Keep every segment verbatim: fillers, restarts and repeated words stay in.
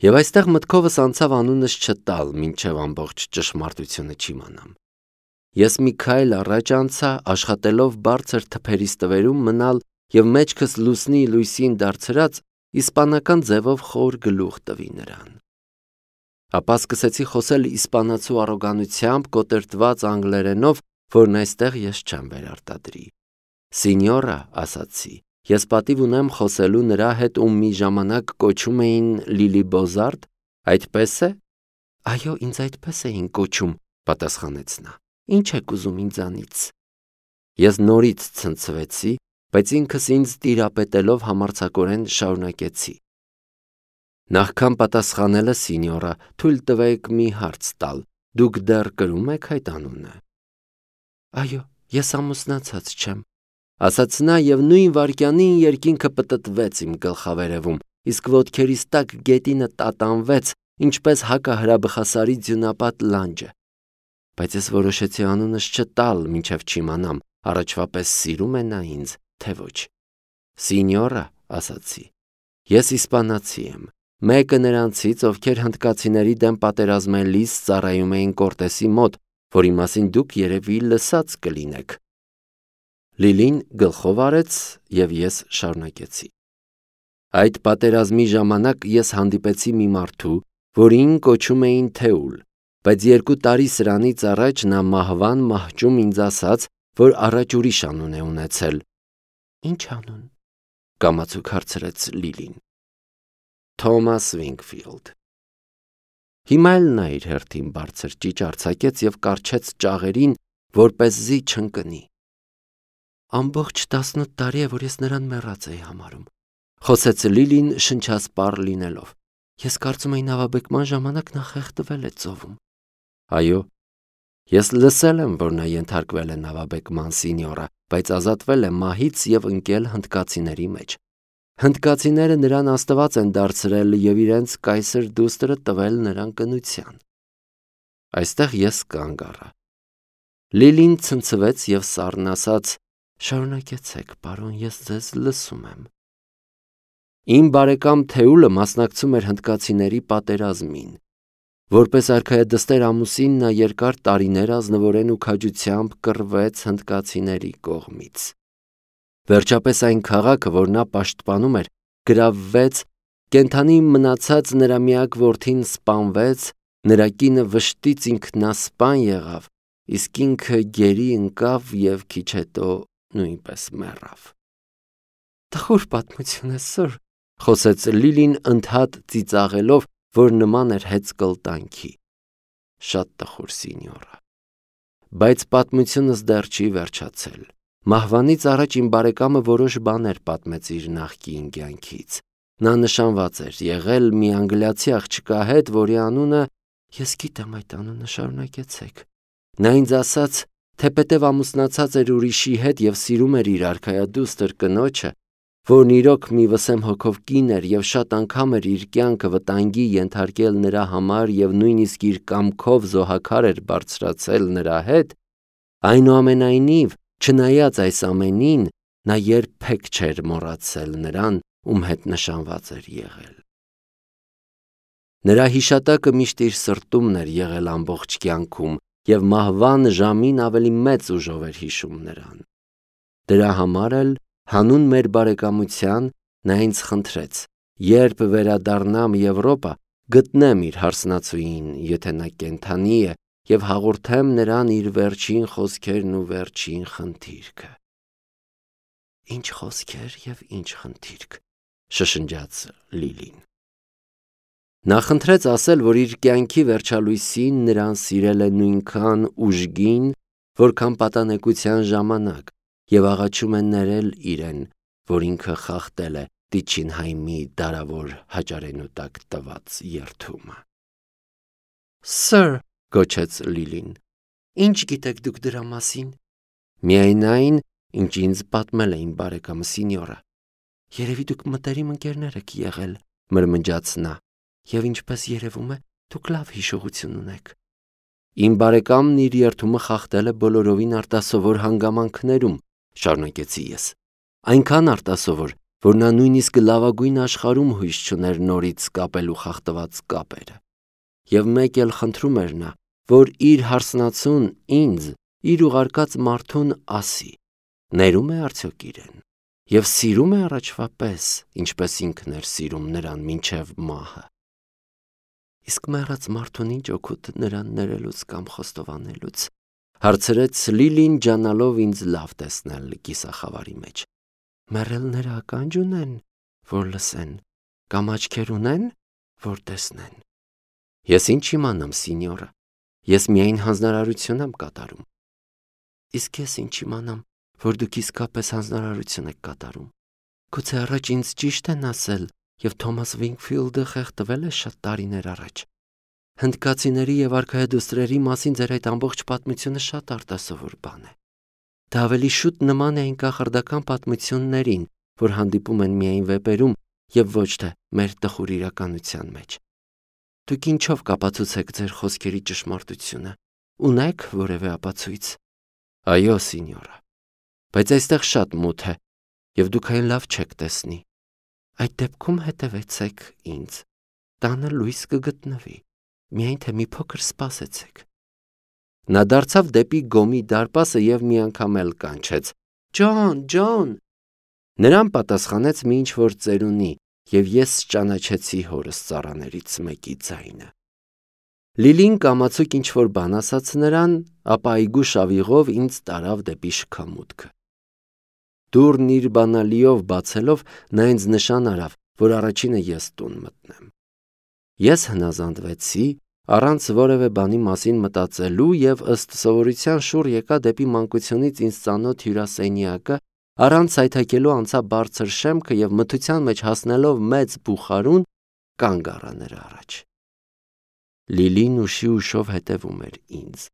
Եվ այստեղ մտքովս անցավ անունս չտալ, մինչև ամբողջ ճշմարտությունը չիմանամ։ Ես մի քայլ առաջ անցա, աշխատելով բարձր թփերի ստվերում մնալ և մեջքս լուսնի լույսին դարձրած իսպանական ձևով խոր գլուխ տվի նրան։ Ապա սկսեցի խոսել իսպանացու առոգանությամբ կոտրտված անգլերենով, որն այստեղ ես չեմ վերարտադրի։ Սինյորա, ասացի, ես պատիվ ունեմ խոսելու նրա հետ, ում մի ժամանակ կոչում էին Լիլի Բոզարդ, այդպես է։ Այո, ինձ այդպես էին կոչում, պատասխանեց նա։ Ինչ եք ուզում ինձանից։ Ես նորից ցնցվեցի, բայց ինքս ինձ տիրապետելով համարձակորեն շարունակեցի։ Նախքան պատասխանելը, սինյորա, թույլ տվեք մի հարց տալ, դուք դեռ կրում եք այդ անունը։ Այո, ես ամուսնացած չեմ, ասաց նա և նույն վայրկյանին երկինքը պտտվեց իմ գլխավերևում, իսկ ոտքերիս տակ գետինը տատանվեց, ինչպես հակահրաբխասարի ձյունապատ լանջը։ Բայց ես որոշեցի անունս չտալ, մինչև չիմանամ, առաջվա պես սիրում է նա ինձ, թե ոչ։ Սինյորա, ասացի, ես իսպանացի եմ, մեկը նրանցից, ովքեր հնդկացիների դեմ պատերազմելիս ծառայում էին Կորտեսի մոտ, որի մասին դուք երևի լսած կլինեք։ Լիլին գլխով արեց, և ես շարունակեցի։ Այդ պատերազմի ժամանակ ես հանդիպեցի մի մարդու, որին կոչում էին Թեուլ, բայց երկու տարի սրանից առաջ նա մահվան մահճում ինձ ասաց, որ առաջ ուրիշ անուն է ունեցել։ Ինչ անուն, կամացուկ հարցրեց Լիլին։ Թոմաս Վինգֆիլդ։ Հիմա էլ նա իր հերթին բարձր ճիչ արձակեց և կառչեց ճաղերին, որպեսզի չընկնի։ Ամբողջ տասնութ տարի է, որ ես նրան մեռած էի համարում, խոսեց Լիլին շնչասպառ լինելով։ Ես կարծում էի նավաբեկման ժամանակ նա խեղդվել է ծովում։ Այո, ես լսել եմ, որ նա ենթարկվել է նավաբեկման, սինյորա, բայց ազատվել է մահից և ընկել հնդկացիների մեջ։ Հնդկացիները նրան աստված են դարձրել և իրենց կայսր դուստրը տվել նրան կնության։ Այստեղ ես կանգ առա։ Լիլին ցնցվեց և սառն ասաց. Շարունակեցեք, պարոն, ես ձեզ լսում եմ։ Իմ բարեկամ Թեուլը մասնակցում էր հնդկացիների պատերազմին։ Որպես արքայադստեր ամուսին նա երկար տարիներ ազնվորեն ու քաջությամբ կռվեց հնդկացիների կողմից։ Վերջապես այն քաղաքը, որ նա պաշտպանում էր, գրավվեց, կենդանի մնացած նրա միակ որդին սպանվեց, նրա կինը վշտից ինքնասպան եղավ, իսկ ինքը գերի ընկավ և քիչ հետո նույնպես մեռավ։ Տխուր պատմություն է, սըր, խոսեց Լիլին ընդհատ ծիծաղելով, որ նման էր հեծկլտանքի։ Շատ տխուր, սինյորա։ Բայց պատմությունս դեռ չի վերջացել։ Մահվանից առաջ իմ բարեկամը որոշ բաներ պատմեց իր նախկին կյանքից։ Նա նշանված էր եղել մի անգլիացի աղջկա հետ, որի անունը, ես գիտեմ այդ անունը, շարունակեցեք։ Նա ինձ ասաց, թեպետև ամուսնացած էր ուրիշի հետ և սիրում էր իր արքայադուստր կնոջը, որն իրոք մի վսեմ հոգով կին էր և շատ անգամ էր իր կյանքը վտանգի ենթարկել նրա համար և նույնիսկ իր կամքով զոհաքար էր բարձրացել նրա հետ, այնուամենայնիվ, չնայած այս ամենին, նա երբեք չէր մոռացել նրան, ում հետ նշանված էր եղել։ Նրա հիշատակը միշտ իր սրտումն էր եղել ամբողջ կյանքում և մահվան ժամին ավելի մեծ ուժով էր հիշում նրան։ Դրա համար էլ, հանուն մեր բարեկամության, նա ինձ խնդրեց, երբ վերադառնամ Եվրոպա, գտնեմ իր հարսնացուին, եթե նա կենդանի է, և հաղորդեմ նրան իր վերջին խոսքերն ու վերջին խնդիրքը։ Ինչ խոսքեր և ինչ խնդիրք, շշնջաց Լիլին։ Նա խնդրեց ասել, որ իր կյանքի վերջալույսին նրան սիրել է նույնքան ուժգին, որքան պատանեկության ժամանակ, և աղաչում է ներել իրեն, որ ինքը խախտել է Տիչինհայմի դարավոր հաճարենու տակ տված երդումը։ Սըր, գոչեց Լիլին, ինչ գիտեք դուք դրա մասին։ Միայն այն, ինչ ինձ պատմել է իմ բարեկամը, սինյորա։ Երևի դուք մտերիմ ընկերներ եք եղել, մրմնջաց նա, և ինչպես երևում է, դուք լավ հիշողություն ունեք։ Իմ բարեկամն իր երդումը խախտել է բոլորովին արտասովոր հանգամանքներում, շարունակեցի ես, այնքան արտասովոր, որ նա նույնիսկ լավագույն աշխարհում հույս չուներ նորից կապելու խախտված կապերը։ Եվ մեկ էլ խնդրում էր նա, որ իր հարսնացուն ինձ, իր ուղարկած մարդուն ասի. ներում է արդյոք իրեն և սիրում է առաջվա պես, ինչպես ինքն էր սիրում նրան մինչև մահը։ Իսկ մեռած մարդուն ինչ օգուտ նրան ներելուց կամ խոստովանելուց, հարցրեց Լիլին, ջանալով ինձ լավ տեսնել կիսախավարի մեջ։ Մեռելները ականջ ունեն, որ լսեն, կամ աչքեր ունեն, որ տեսնեն։ Ես ինչ իմանամ, սինյորա, ես միայն հանձնարարություն եմ կատարում։ Իսկ ես ինչ իմանամ, որ դուք իսկապես հանձնարարություն եք կատարում։ Գուցե առաջ ինձ ճիշտ են ասել, և Թոմաս Վինքֆիլդը խեղդվել է շատ տարիներ առաջ։ Հնդկացիների և արքայադուստրերի մասին ձեր այդ ամբողջ պատմությունը շատ արտասովոր բան է։ Դա ավելի շուտ նման է այն կախարդական պատմություններին, որ հանդիպում են միայն վեպերում և ոչ թե մեր տխուր իրականության մեջ։ Դուք ինչով կապացուցեք ձեր խոսքերի ճշմարտությունը։ Ունե՞ք որևէ ապացույց։ Այո, սինյորա, բայց այստեղ շատ մութ է, և դուք այն լավ չեք տեսնի։ Այդ դեպքում հետևեցեք ինձ, տանը լույս կգտնվի, միայն թե մի փոքր սպասեցեք։ Նա դարձավ դեպի գոմի դարպասը և մի անգամ էլ կանչեց. Ջոն, Ջոն։ Նրան պատասխանեց մի ինչ-որ ծերունի, և ես ճանաչեցի հորս ծառաներից մեկի ձայնը։ Լիլին կամացուկ ինչ-որ բան ասաց նրան, ապա այգու շավիղով ինձ տարավ դեպի շքամուտքը։ Դուռն իր բանալիով բացելով, նա ինձ նշան արավ, որ առաջինը ես տուն մտնեմ։ Ես հնազանդվեցի, առանց որևէ բանի մասին մտածելու և ըստ սովորության շուռ եկա դեպի մանկությունից ինձ ծանոթ հյուրասենյակը, առանց այթակելու անցա բարձր շեմքը և մթության մեջ հասնելով մեծ բուխարուն, կանգ առա նրա առաջ։ Լիլին ուշի ուշով հետևում էր ինձ։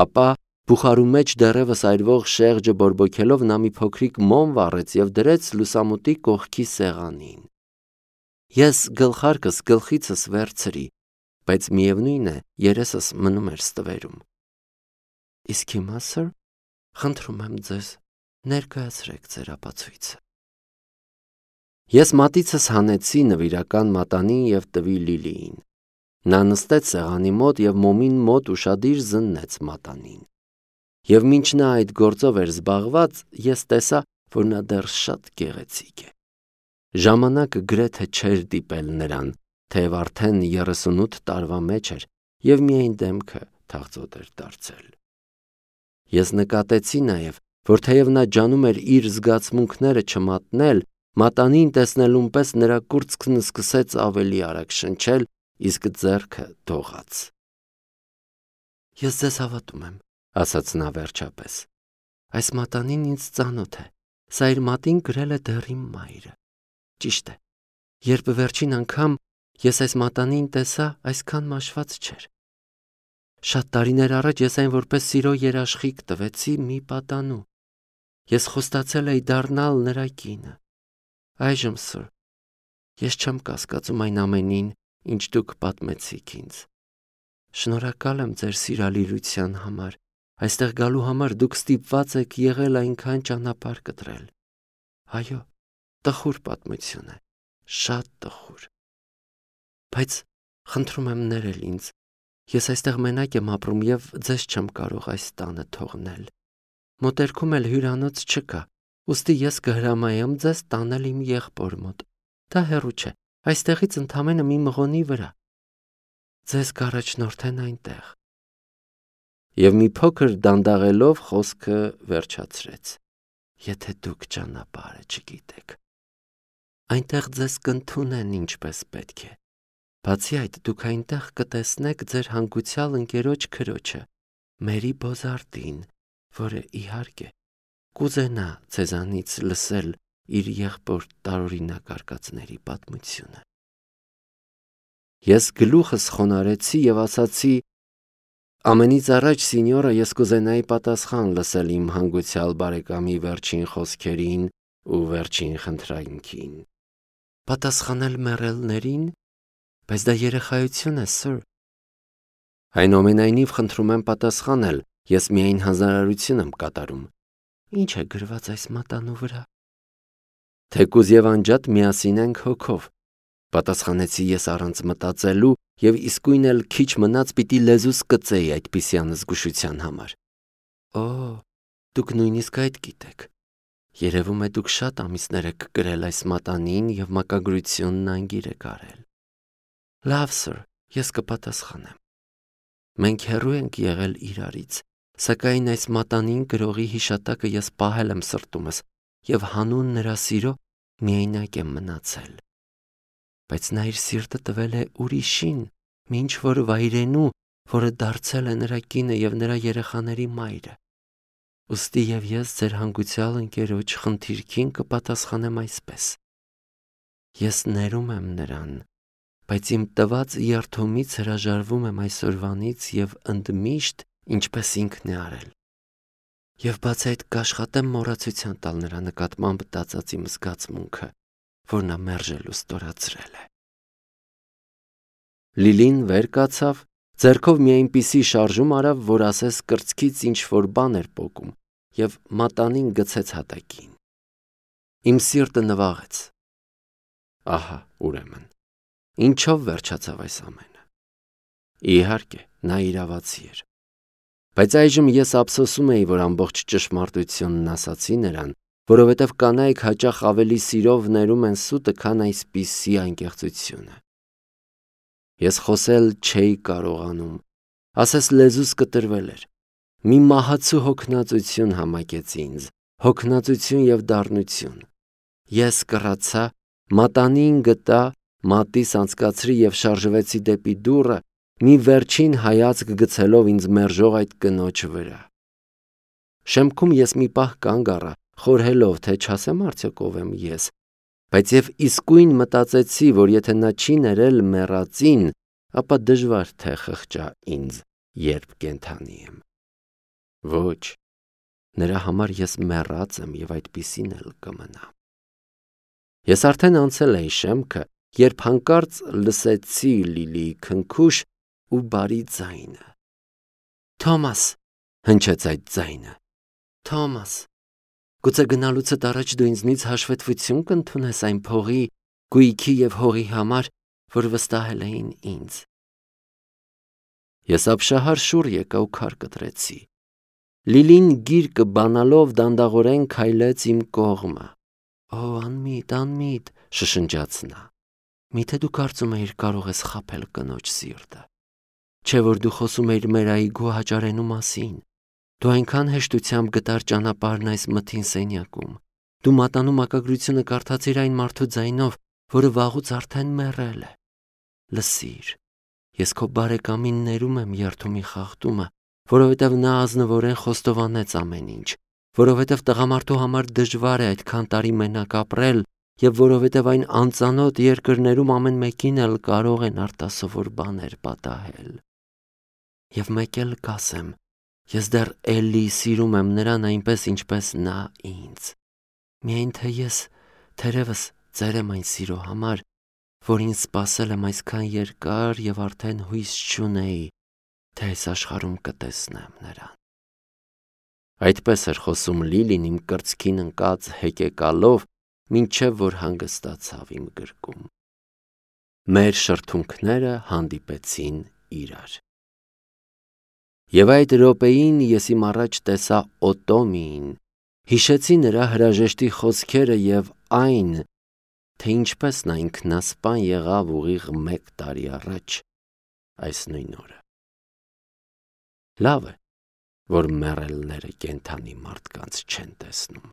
Ապա բուխարու մեջ դեռևս այրվող շեղջը բորբոքելով նա մի փոքրիկ մոմ վառեց և դրեց լուսամուտի կողքի սեղանին։ Ես գլխարկս գլխիցս վերցրի, բայց միևնույն է, երեսս մնում էր ստվերում։ Իսկ հիմա, սըր, խնդրում եմ ձեզ, ներկայացրեք ձեր ապացույցը։ Ես մատիցս հանեցի նվիրական մատանին և տվի Լիլիին։ Նա նստեց սեղանի մոտ և մոմին մոտ ուշադիր զննեց մատանին։ Եվ մինչ նա այդ գործով էր զբաղված, ես տեսա, որ նա դեռ շատ գեղեցիկ է։ Ժամանակը գրեթե չէր դիպել նրան, թեև արդեն երեսունութ տարվա մեջ էր և միայն դեմքը թախծոտ էր դարձել։ Ես նկատեցի նաև, որ թեև նա ջանում էր իր զգացմունքները չմատնել, մատանին տեսնելուն պես նրա կուրծքն սկսեց ավելի արագ շնչել, իսկ ձեռքը դողաց։ Ես ձեզ հավատում եմ, ասաց նա վերջապես։ Այս մատանին ինձ ծանոթ է, սա իր մատին գրել է դեռ իմ մայրը։ Ճիշտ է, երբ վերջին անգամ ես այս մատանին տեսա, այսքան մաշված չէր։ Շատ տարիներ առաջ ես այն որպես սիրո երաշխիք տվեցի մի պատանու։ Ես խոստացել էի դառնալ նրա կինը։ Այժմ, սըր, ես չեմ կասկածում այն ամենին, ինչ դուք պատմեցիք ինձ։ Շնորհակալ եմ ձեր սիրալիրության համար, այստեղ գալու համար դուք ստիպված եք եղել այնքան ճանապարհ կտրել։ Այո, տխուր պատմություն է, շատ տխուր։ Բայց խնդրում եմ ներել ինձ, ես այստեղ մենակ եմ ապրում և ձեզ չեմ կարող այս տանը թողնել։ Մոտերքում էլ հյուրանոց չկա, ուստի ես կհրամայեմ ձեզ տանել իմ եղբոր մոտ։ Դա հեռու չէ, այստեղից ընդամենը մի մղոնի վրա։ Ձեզ կառաջնորդեն այնտեղ։ Եվ մի փոքր դանդաղելով խոսքը վերջացրեց։ Եթե դուք ճանապարհը չգիտեք։ Այնտեղ ձեզ կընդունեն ինչպես պետք է։ Բացի այդ, դուք այնտեղ կտեսնեք ձեր հանգուցյալ ընկերոջ քրոջը, Մերի Բոզարտին, որը, իհարկե, կուզենա ձեզանից լսել իր եղբոր տարօրինակ արկածների պատմությունը։ Ես գլուխս խոնարհեցի և ասացի. ամենից առաջ, սինյորա, ես կուզենայի պատասխան լսել իմ հանգուցյալ բարեկամի վերջին խոսքերին ու վերջին խնդրանքին։ Պատասխանել մեռելներին, բայց դա երեխայություն է, սըր։ Այնուամենայնիվ խնդրում եմ պատասխանել, ես միայն հանձնարարություն եմ կատարում։ Ինչ է գրված այս մատանու վրա։ Թեկուզ եւ անջատ միասին ենք հոգով, պատասխանեցի ես առանց մտածելու եւ իսկույն էլ քիչ մնաց պիտի լեզուս կծեի այդպիսի անզգուշության համար։ Օ, դուք նույնիսկ այդ գիտեք։ Երևում է դուք շատ ամիսներ եք կրել այս մատանին եւ մակագրությունն անգիր եք արել։ Լավ, սըր, ես կպատասխանեմ։ Մենք հեռու ենք եղել իրարից, սակայն այս մատանին գրողի հիշատակը ես պահել եմ սրտումս եւ հանուն նրա սիրո միայնակ եմ մնացել։ Բայց նա իր սիրտը տվել է ուրիշին, ինչ որ վայրենու, որը դարձել է նրա կինը եւ նրա երեխաների մայրը։ Ուստի եւ ես ձեր հանգուցյալ ընկերոջ խնդիրքին կպատասխանեմ այսպես. Ես ներում եմ նրան, բայց իմ տված երթումից հրաժարվում եմ այսօրվանից եւ ընդմիշտ ինչպես ինքն է արել։ Եվ բացի այդ կաշխատեմ մոռացության տալ նրա նկատմամբ տածած իմ զգացմունքը, որ նա մերժելու ստորացրել է։ Լիլին վեր կացավ, ձեռքով մի այնպիսի շարժում արավ, որ ասես կրծքից ինչ որ բան էր պոկում, եւ մատանին գցեց հատակին։ Իմ սիրտը նվաղեց։ Ահա, ուրեմն, ինչով վերջացավ այս ամենը։ Իհարկե, նա իրավացի էր։ Բայց այժմ ես ափսոսում էի, որ ամբողջ ճշմարտությունն ասացի նրան, որովհետև կանայք հաճախ ավելի սիրով ներում են սուտը, քան այսպիսի անկեղծությունը։ Ես խոսել չէի կարողանում, ասես լեզուս կտրվել էր։ Մի մահացու հոգնածություն համակեց ինձ, հոգնածություն եւ դառնություն։ Ես կռացա, մատանին գտա, մատիս անցկացրի եւ շարժվեցի դեպի դուռը, մի վերջին հայացք գցելով ինձ մերժող այդ կնոջ վրա։ Շեմքում ես մի պահ կանգ առա, խորհելով, թե չասեմ արդյոք ով եմ ես, բայց եւ իսկույն մտածեցի, որ եթե նա չի ներել մեռածին, ապա դժվար թե խղճա ինձ, երբ կենդանի եմ։ Ոչ, նրա համար ես մեռած եմ եւ այդպիսին էլ կմնամ։ Ես արդեն անցել էի շեմքը, երբ հանկարծ լսեցի Լիլիի քնքուշ ու բարի ձայնը։ Թոմաս, հնչեց այդ ձայնը։ Թոմաս, գուցե գնալուցդ առաջ դու ինձնից հաշվետվություն կընդունես այն փողի, գույքի եւ հողի համար, որ վստահել էին ինձ։ Ես ապշահար շուռ եկա ու քար կտրեցի։ Լիլին գիրկը բանալով դանդաղորեն քայլեց իմ կողմը։ Օ, անմիտ, անմիտ, շշնջաց նա։ Միթե դու կարծում էիր կարող ես խաբել կնոջ սիրտը։ Չէ որ դու խոսում էիր մեր այգու հաճարենու մասին։ Դու այնքան հեշտությամբ գտար ճանապարհն այս մթին սենյակում։ Դու մատանու մակագրությունը կարդացիր այն մարդու ձայնով, որը վաղուց արդեն մեռել է։ Լսիր, ես քո բարեկամին ներում եմ երթումի խախտումը, որովհետև նա ազնվորեն խոստովանեց ամեն ինչ, որովհետև տղամարդու համար դժվար է այդքան տարի մենակ ապրել եւ որովհետև այն անծանոթ երկրներում ամեն մեկին էլ կարող են արտասովոր բաներ պատահել։ Եվ մեկ էլ կասեմ, ես դեռ էլի սիրում եմ նրան այնպես, ինչպես նա ինձ։ Միայն թե ես թերևս ծեր եմ այն սիրո համար, որին սպասել եմ այսքան երկար եւ արդեն հույս չունեի, թե այս աշխարհում կտեսնեմ նրան։ Այդպես էր խոսում Լիլին իմ կրծքին ընկած հեկեկալով, մինչև որ հանգստացավ իմ գրկում։ Մեր շրթունքները հանդիպեցին իրար։ Եվ այդ րոպեին ես իմ առաջ տեսա Օտոմիին, հիշեցի նրա հրաժեշտի խոսքերը եւ այն, թե ինչպես նա ինքնասպան եղավ ուղիղ մեկ տարի առաջ այս նույն օրը։ Լավ է, որ մեռելները կենդանի մարդկանց չեն տեսնում։